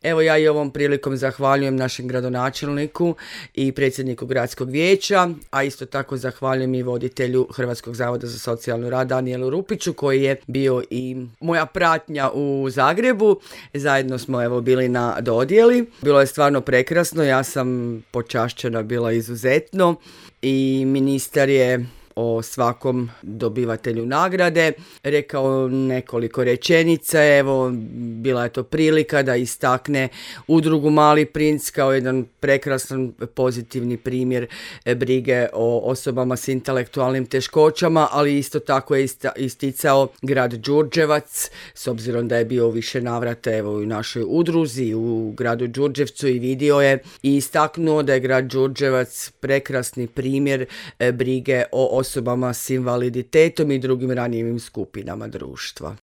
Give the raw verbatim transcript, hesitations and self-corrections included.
Evo ja i ovom prilikom zahvaljujem našem gradonačelniku i predsjedniku gradskog vijeća, a isto tako zahvaljujem i voditelju Hrvatskog zavoda za socijalni rad Danijelu Rupiću koji je bio i moja pratnja u Zagrebu. Zajedno smo evo bili na dodjeli. Bilo je stvarno prekrasno, ja sam počašćena bila izuzetno i ministar je o svakom dobivatelju nagrade rekao nekoliko rečenica. Evo, bila je to prilika da istakne udrugu Mali princ kao jedan prekrasan pozitivni primjer brige o osobama s intelektualnim teškoćama, ali isto tako je isticao grad Đurđevac, s obzirom da je bio u više navrata evo u našoj udruzi u gradu Đurđevcu i vidio je i istaknuo da je grad Đurđevac prekrasni primjer brige o osobama s invaliditetom i drugim ranjivim skupinama društva.